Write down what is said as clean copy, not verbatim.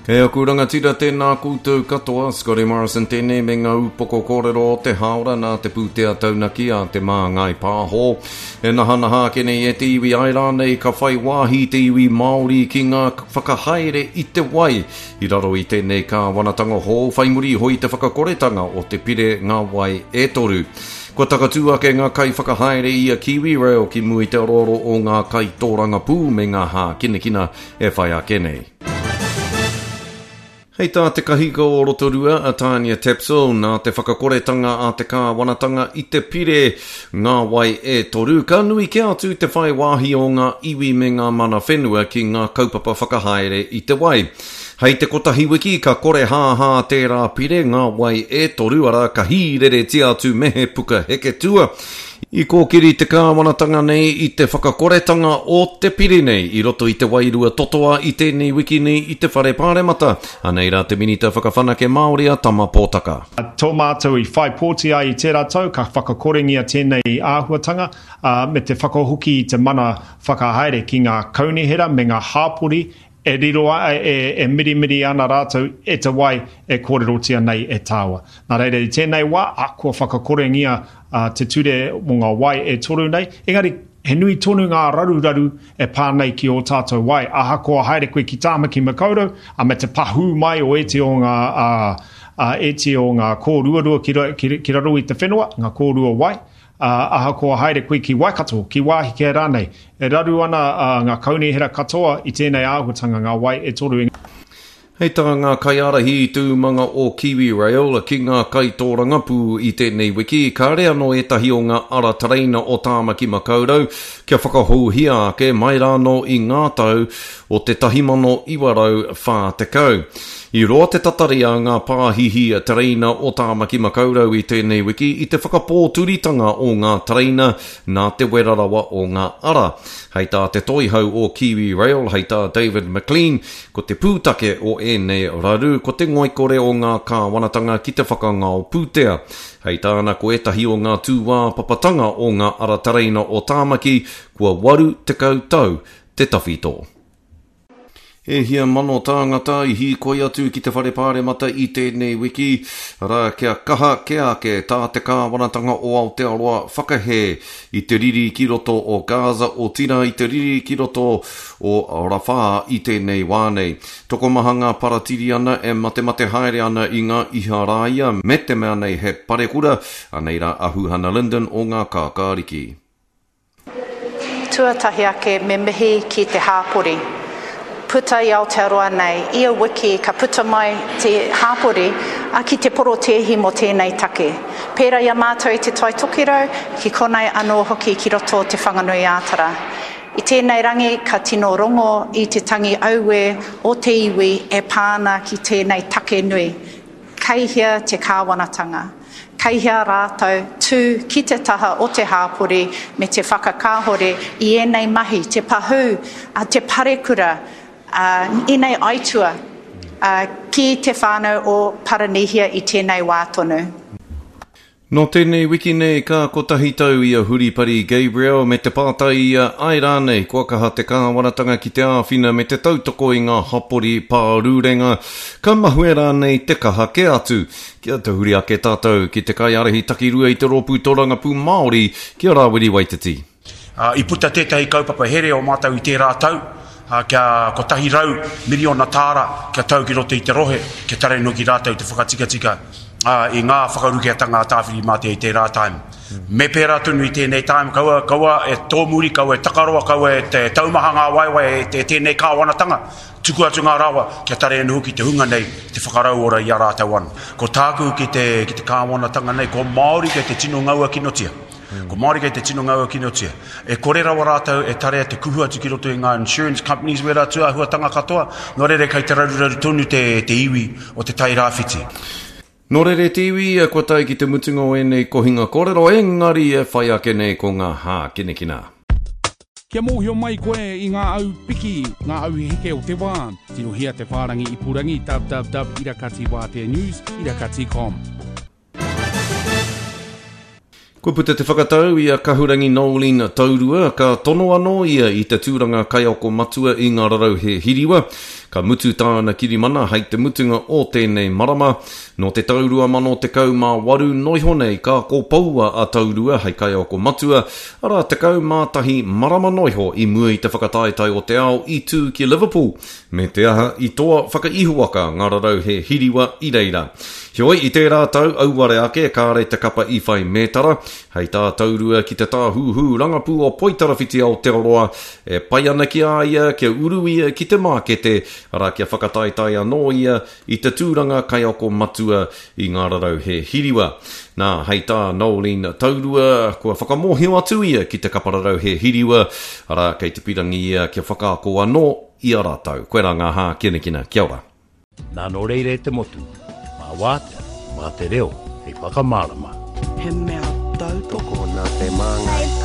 E aku rangatira tēnā koutou katoa, Scotty Morrison tēnei me ngā upoko kōrero o te hāora nā te pūtea taunaki a Te Māngai Pāho. E nahanaha ake nei e te iwi ai rānei ka whai wāhi te iwi Māori ki ngā whakahaere i te wai i raro i tēnei kāwanatanga hou whai muri iho i te whakakoretanga o te pire Ngā Wai e Toru. Kua takatū ake ngā kaiwhakahaere i a KiwiRail ki mua i te aroaro o ngā kaitōrangapū me ngā hākinakina e whai ake nei. Hei tā te kahika o Rotorua, a Tania Tapsell, nā te whakakoretanga a te kāwanatanga i te pire Ngā Wai e Toru, ka nui kē atu te whai wāhi o ngā iwi me ngā mana whenua ki ngā kaupapa whakahaere i te wai. Hei te kotahi wiki ka korehāhā tērā pire Ngā Wai e Toru, arā, ka hīreretia atu me he puka heketua. I kōkiri te kāwanatanga nei i te whakakoretanga o te pire nei i roto i te wairua totoa i tēnei wiki nei i te Whare Pāremata. Anei rā te Minita Whakawhanake Māori a Tama Pōtaka. Tō mātou i whai pōti ai i tērā tau ka whakakorengia tēnei āhuatanga, ā, me te whakahoki i te mana whakahaere ki ngā kaunihera me ngā hāpori E riro a, e, e mirimiri ana rātou e te wai e kōrerotia nei e tāua. Nā reira, i tēnei wā, a, kua whakakorengia a, te ture mō ngā wai e toru nei, engari he nui tonu ngā raruraru e pā nei ki ō tātou wai, ahakoa haere koe ki Tāmaki Makaurau, a, me te pahū mai o ēti o ngā, a, a, ēti o ngā kōruarua ki, ki, ki raro i te whenua, ngā kōrua wai, Ā, ahakoa haere koe ki Waikato, ki wāhi kē rānei, e raru ana ngā kaunihera katoa i tēnei āhuatanga, ngā wai e toru. Hei tā ngā kaiārahi i te umanga o KiwiRail ki ngā kaitōrangapū i tēnei wiki, kāre anō ētahi o ngā ara tereina o Tāmaki Makaurau kia whakahouhia ake mai rānō i ngā tau o te 1940. I roa te tatari a ngā pāhihi tereina o Tāmaki Makaurau i tēnei wiki i te whakapōturitanga o ngā tereina nā te wera rawa o ngā ara. Hei tā te toihau o Kiwi Rail, hei tā David McLean, ko te pūtake o ēnei raru ko te ngoikore o ngā kāwanatanga ki te whakangao pūtea. Hei tāna ko ētahi o ngā tūāpapatanga o ngā ara tereina o Tāmaki kua 80 tau te tawhito. E hia mano tāngata i hīkoi atu ki te Whare Pāremata i tēnei wiki, arā, kia kaha kē ake tā te kāwanatanga o Aotearoa whakahē i te riri ki roto o Gaza, otirā i te riri ki roto o Rafah i tēnei wā nei. Tokomaha ngā Paratiriana e matemate haere ana i ngā Iharaia me te mea nei he parekura, anei rā a Huhana Lyndon o Ngā Kākāriki. Tuatahi ake me mihi ki te hāpori. Puta i Aotearoa nei, ia wiki ka puta mai te hāpori ki te porotēhi mō tēnei take. Pērā i a mātou i Te Tai Tokerau, ki konei anō hoki ki roto o Te Whanganui-ā-Tara. I tēnei rangi ka tino rongo i te tangi auē o te iwi e pā ana ki tēnei take nui. Kei hea te kāwanatanga? Kei hea rātou tū ki te taha o te hāpori me te whakakāhore i ēnei mahi, te pahū, te parekura, ēnei aitua ki te whānau o Paranihia i tēnei wā tonu. Nō tēnei wiki nei ka kotahi tau i a Huripari Gabriel me te pātai ia, āe rānei kua kaha te kāwanatanga ki te āwhina me te tautoko i ngā hapori pārurenga, ka mahue rānei te kaha kē atu? Kia tahuri ake tātou ki te kaiārahi takirua i te Rōpū Tōrangapū Māori, ki a Rāwiri Waititi. I puta tētahi kaupapa here o mātou i tērā tau, kia 100 miriona tāra kia tau ki roto i te rohe, kia tarei noki rātou te whakatikatika i ngā whakarukeatanga a Tāwhirimātea i tērā time. Me pērā tonu i tēnei time, kaua, kaua e tōmuri, kaua e takaroa, kaua e taumaha ngā waewae e tēnei kāwanatanga. Tuku atu ngā rawa kia tare anō hoki te hunga nei te whakarauora i a rātou anō. Ko tāku ki te, ki te kāwanatanga nei, ko Māori kei te tino ngaua kinotia. Ko Māori kei te tino ngaua kinotia. E kore rawa rātou e tarea te kuhu atu ki roto i ngā insurance companies wērā tūāhuatanga katoa, nō reira kei te raruraru tonu te, te iwi o Te Tai Rāwhiti. Nō reira te iwi, kua tae ki te mutunga o ēnei kohinga kōrero, engari e whai ake nei ko ngā hākinakina. Kia mōhio mai koe i ngā au piki, ngā au heke o te wā, tirohia te whārangi ipurangi www irakatiwāteanews irakati.com. Kua puta te whakatau i a Kahurangi Noeline Taurua, ka tono anō ia i te tūranga kaiako matua i ngā rarauhe hiriwa. Ka mutu tāna kirimana hei te mutunga o tēnei marama. Nō te tau 2018 noiho nei ka kopoua a Taurua hei kaiako matua, arā 11 marama noiho i mua i te whakataetae o te ao i tū ki Liverpool, me te aha i toa whakaihuwaka ngā rarauhe hiriwa i reira. Heoi, i tērā tau auare ake kāre te kapa i whai mētara, hei tā Taurua ki te tāhūhū rangapū o Poitarawhiti Aotearoa, E pai ana ki a ia kia uru ia ki te mākete, arā kia whakataetae anō ia i te tūranga kaiako matua i ngā rarauhe hiriwa. Nā, hei tā Noeline Taurua, kua whakamōhio atu ia ki te kapa rarauhe hiriwa, arā kei te pirangi ia kia whakaako anō i a rātou. Koirā ngā hākinakina. Kia ora. Nā nō reira e te motu, mā wātea, mā te reo hei whakamārama. He mea tautoko nā te Māngai.